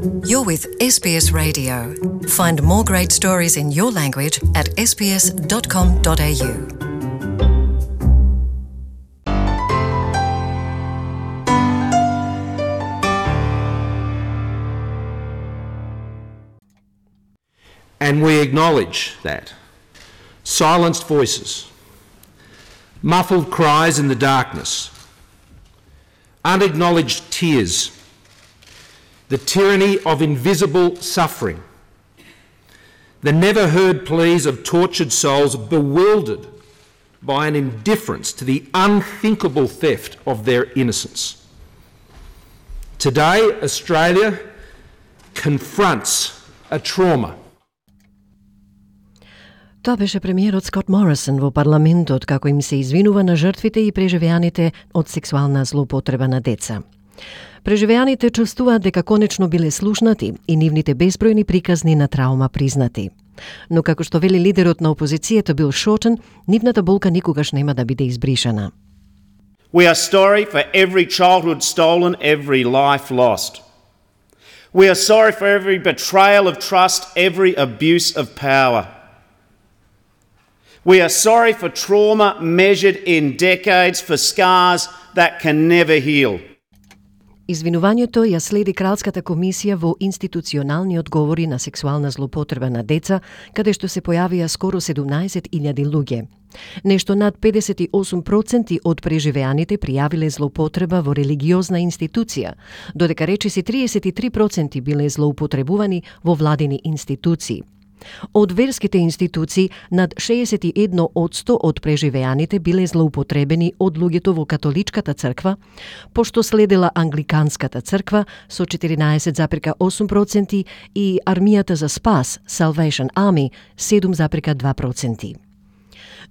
You're with SBS Radio. Find more great stories in your language at sbs.com.au. And we acknowledge that. Silenced voices, muffled cries in the darkness, unacknowledged tears, the tyranny of invisible suffering, the never heard pleas of tortured souls bewildered by an indifference to the unthinkable theft of their innocence. Today, Australia confronts a trauma. Тоа беше премиерот Скот Морисон во парламентот како им се извинува на жртвите и преживеаните од сексуална злоупотреба на деца. Преживеаните чувствуваат дека конечно биле слушнати и нивните безбројни приказни на траума признати. Но како што вели лидерот на опозицијата Бил Шортон, нивната болка никогаш нема да биде избришана. We are sorry for every childhood stolen, every life lost. We are sorry for every betrayal of trust, every abuse of power. We are sorry for trauma measured in decades, for scars that can never heal. Извинувањето ја следи Кралската комисија во институционални одговори на сексуална злоупотреба на деца, каде што се појавија скоро 17.000 луѓе. Нешто над 58% од преживеаните пријавиле злоупотреба во религиозна институција, додека речиси 33% биле злоупотребувани во владини институции. Од верските институции, над 61% од преживеаните биле злоупотребени од луѓето во католичката црква, пошто следела англиканската црква со 14,8% и армијата за спас, Salvation Army, 7,2%.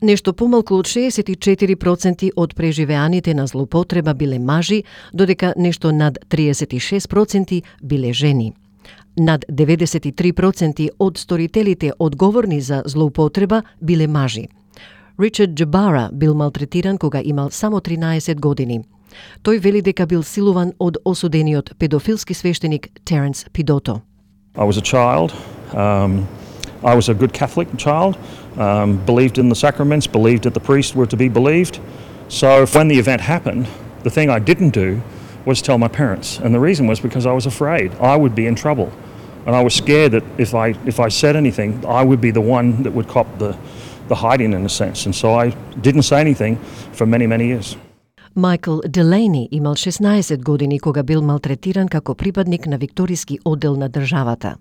Нешто помалку од 64% од преживеаните на злоупотреба биле мажи, додека нешто над 36% биле жени. Над 93% од сторителите одговорни за злоупотреба биле мажи. Ричард Джабара бил малтретиран кога имал само 13 години. Тој вели дека бил силуван од осудениот педофилски свештеник Теренс Пидото. I was a child. I was a good Catholic child. Believed in the sacraments, believed that the priests were to be believed. So when the event happened, the thing I didn't do was tell my parents, and the reason was because I was afraid I would be in trouble, and I was scared that if I said anything, I would be the one that would cop the hiding in a sense, and so I didn't say anything for many years. Майкл Делейни имал 16 години кога бил малтретиран како припадник на викториски оддел на државата.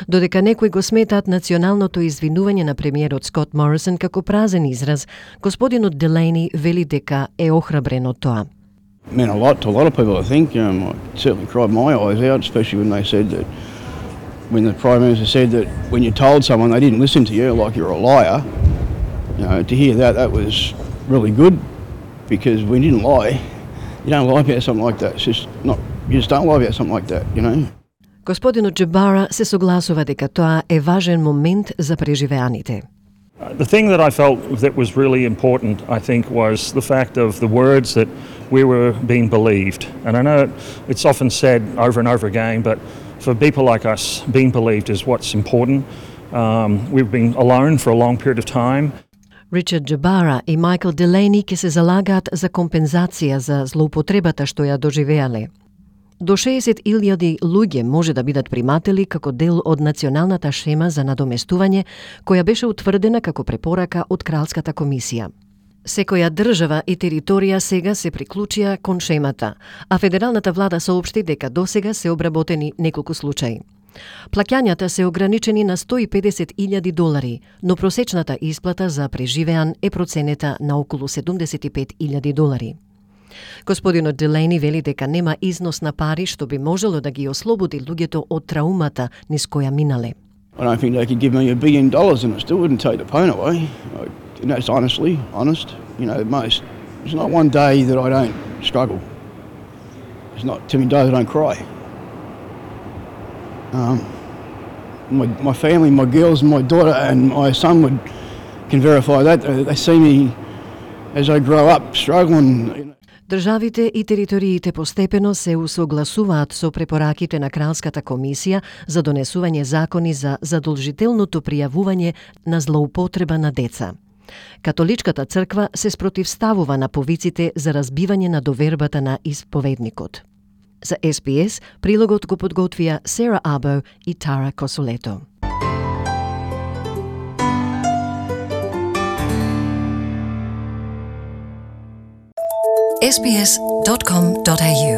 Додека некои го сметаат националното извинување на премиерот Скот Морисон како празен израз, господинот Делейни вели дека е охрабрен од тоа. Meant a lot to a lot of people, I think. I certainly cried my eyes out, especially when they said that, when the Prime Minister said that when you told someone they didn't listen to you, like you're a liar, to hear that was really good, because when you didn't lie, you don't lie about something like that. It's just not, you just don't lie about something like that, you know. Господинот Джабара се согласува дека тоа е важен момент за преживеаните. The thing that I felt that was really important, I think, was the fact of the words that we were being believed. And I know it's often said over and over again, but for people like us, being believed is what's important. We've been alone for a long period of time. Ричард Джабара и Майкл Делейни ке се залагаат за компензација за злоупотребата што ја доживеале. До 60.000 луѓе може да бидат приматели како дел од националната шема за надоместување, која беше утврдена како препорака од Кралската комисија. Секоја држава и територија сега се приклучија кон шемата, а федералната влада соопшти дека досега се обработени неколку случаи. Плаќањата се ограничени на $150,000, но просечната исплата за преживеан е проценета на околу $75,000. Господинот Делейни вели дека нема износ на пари што би можело да ги ослободи луѓето од траумата низ која минале. I don't think they could give me $1 billion and it still wouldn't take the pain away. And that's honest. There's not one day that I don't struggle. There's not too many days I don't cry. My family, my girls and my daughter and my son can verify that. They see me as I grow up struggling. Државите и териториите постепено се усогласуваат со препораките на Кралската комисија за донесување закони за задолжителното пријавување на злоупотреба на деца. Католичката црква се спротивставува на повиците за разбивање на довербата на исповедникот. За SBS, прилогот го подготвија Сера Або и Тара Косолето. sbs.com.au